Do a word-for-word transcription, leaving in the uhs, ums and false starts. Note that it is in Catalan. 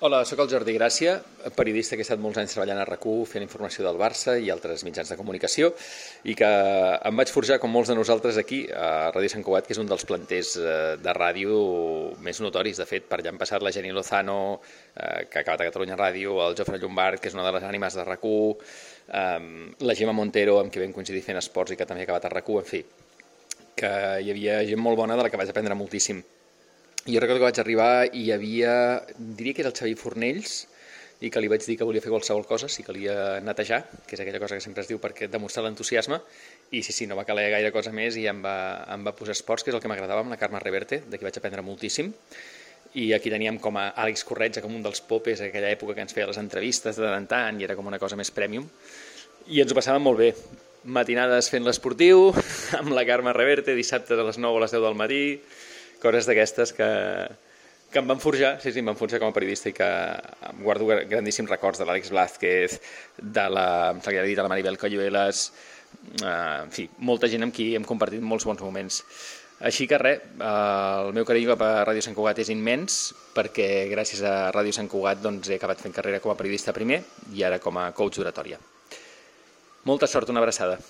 Hola, sóc el Jordi Gràcia, periodista que he estat molts anys treballant a RAC u fent informació del Barça i altres mitjans de comunicació i que em vaig forjar, com molts de nosaltres aquí, a Ràdio Sant Cugat, que és un dels planters de ràdio més notoris. De fet, per allà han passat la Jenny Lozano, que ha acabat a Catalunya Ràdio, el Jofre Llombart, que és una de les ànimes de RAC u, la Gemma Montero, amb qui vam coincidir fent esports i que també ha acabat a RAC u, en fi, que hi havia gent molt bona de la que vaig aprendre moltíssim. Jo recordo que vaig arribar i hi havia, diria que era el Xavi Fornells, i que li vaig dir que volia fer qualsevol cosa, si calia netejar, que és aquella cosa que sempre es diu perquè demostrar l'entusiasme, i sí, sí, no va caler gaire cosa més i em va, em va posar esports, que és el que m'agradava, amb la Carme Reverte, de qui vaig aprendre moltíssim, i aquí teníem com a Àlex Corretja, com un dels popes, a aquella època que ens feia les entrevistes de tant en tant, i era com una cosa més premium, i ens ho passàvem molt bé. Matinades fent l'esportiu, amb la Carme Reverte, dissabtes a les nou o a les deu del matí, coses d'aquestes que, que em van forjar, sí, sí, em van forjar com a periodista i que em guardo grandíssims records de l'Àlex Blázquez, de la, de la Maribel Coyuelas, eh, en fi, molta gent amb qui hem compartit molts bons moments. Així que res, el meu carinyo cap a Ràdio Sant Cugat és immens, perquè gràcies a Ràdio Sant Cugat doncs, he acabat fent carrera com a periodista primer i ara com a coach d'oratòria. Molta sort, una abraçada.